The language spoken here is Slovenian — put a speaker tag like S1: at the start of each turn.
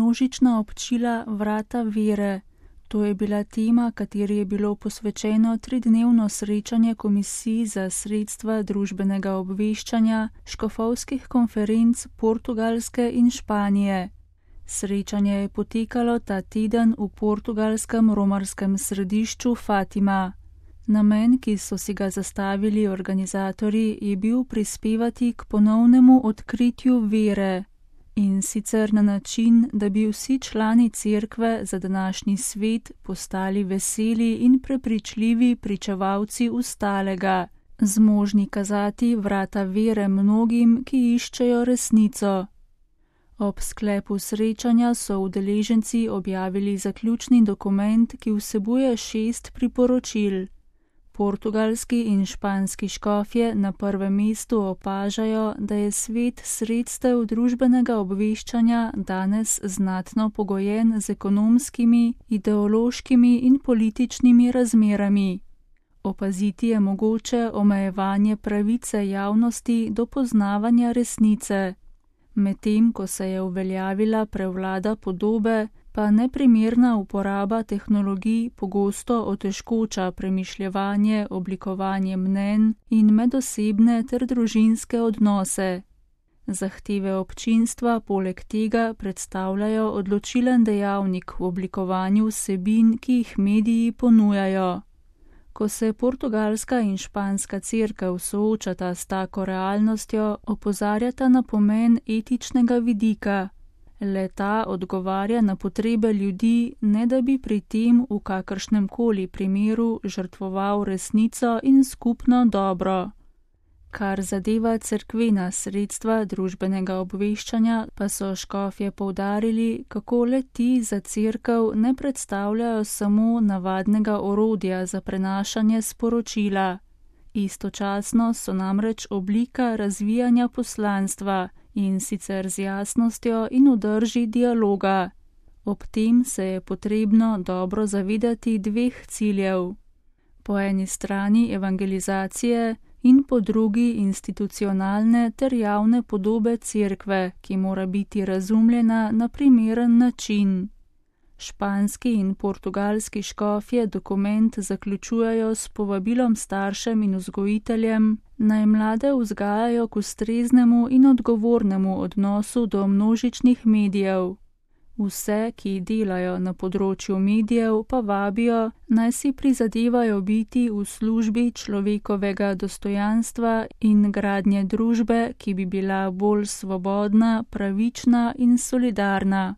S1: množična občila Vrata vere. To je bila tema, kateri je bilo posvečeno 3-dnevno srečanje komisij za sredstva družbenega obveščanja škofovskih konferenc Portugalske in Španije. Srečanje je potekalo ta teden v portugalskem romarskem središču Fatima. Namen, ki so si ga zastavili organizatorji, je bil prispevati k ponovnemu odkritju vere. In sicer na način, da bi vsi člani cerkve za današnji svet postali veseli in prepričljivi pričevalci ustalega, zmožni kazati vrata vere mnogim, ki iščejo resnico. Ob sklepu srečanja so udeleženci objavili zaključni dokument, ki vsebuje 6 priporočil. Portugalski in španski škofje na prvem mestu opažajo, da je svet sredstev družbenega obveščanja danes znatno pogojen z ekonomskimi, ideološkimi in političnimi razmerami. Opaziti je mogoče omejevanje pravice javnosti do poznavanja resnice. Medtem ko se je uveljavila prevlada podobe, pa neprimerna uporaba tehnologij pogosto otežkoča premišljevanje, oblikovanje mnenj in medosebne ter družinske odnose. Zahteve občinstva poleg tega predstavljajo odločilen dejavnik v oblikovanju vsebin, ki jih mediji ponujajo. Ko se portugalska in španska cerkev soočata s tako realnostjo, opozarjata na pomen etičnega vidika. Le-ta odgovarja na potrebe ljudi, ne da bi pri tem v kakršnem koli primeru žrtvoval resnico in skupno dobro. Kar zadeva cerkvena sredstva družbenega obveščanja, pa so škofje poudarili, kako le-ti za cerkev ne predstavljajo samo navadnega orodja za prenašanje sporočila. Istočasno so namreč oblika razvijanja poslanstva, in sicer z jasnostjo in vdrži dialoga. Ob tem se je potrebno dobro zavedati 2 ciljev. Po eni strani evangelizacije in po drugi institucionalne ter javne podobe cerkve, ki mora biti razumljena na primeren način. Španski in portugalski škofje dokument zaključujejo s povabilom staršem in vzgojiteljem, naj mlade vzgajajo k ustreznemu in odgovornemu odnosu do množičnih medijev. Vse, ki delajo na področju medijev, pa vabijo, naj si prizadevajo biti v službi človekovega dostojanstva in gradnje družbe, ki bi bila bolj svobodna, pravična in solidarna.